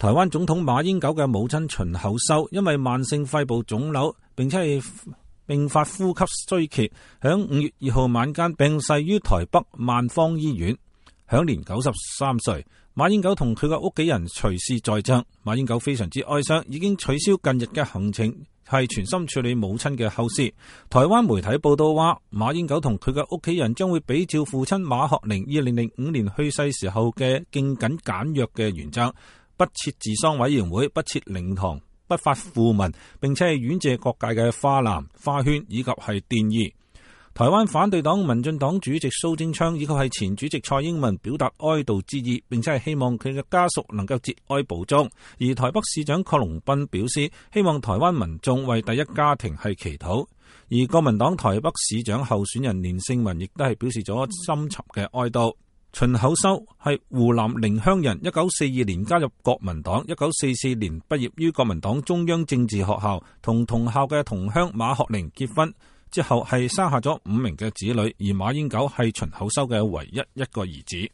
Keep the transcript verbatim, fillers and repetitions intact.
台灣總統馬英九嘅母親秦厚修因為慢性肺部腫瘤，並且係併發呼吸衰竭，響五月二號晚間病逝於台北萬芳醫院，享年九十三歲。馬英九同佢嘅屋企人隨侍在場，馬英九非常之哀傷，已經取消近日嘅行程，係全心處理母親嘅後事。台灣媒體報道話，馬英九同佢嘅屋企人將會比照父親馬學寧二零零五年去世時候嘅敬謹簡約嘅原則，不設治喪委員會，不設靈堂，不發訃文，並且係婉謝各界嘅花籃、花圈以及係奠意。台灣反對黨民進黨主席蘇貞昌以及係前主席蔡英文表達哀悼之意，並且係希望佢嘅家屬能夠節哀保重。而台北市長郝龍斌表示，希望台灣民眾為第一家庭係祈禱。而國民黨台北市長候選人連勝文亦都係表示咗深沉嘅哀悼。秦厚修係湖南寧鄉人，一九四二年加入國民黨，一九四四年畢業於國民黨中央政治學校，同同校嘅同鄉馬學寧結婚之後係生下咗五名嘅子女，而馬英九係秦厚修嘅唯一一個兒子。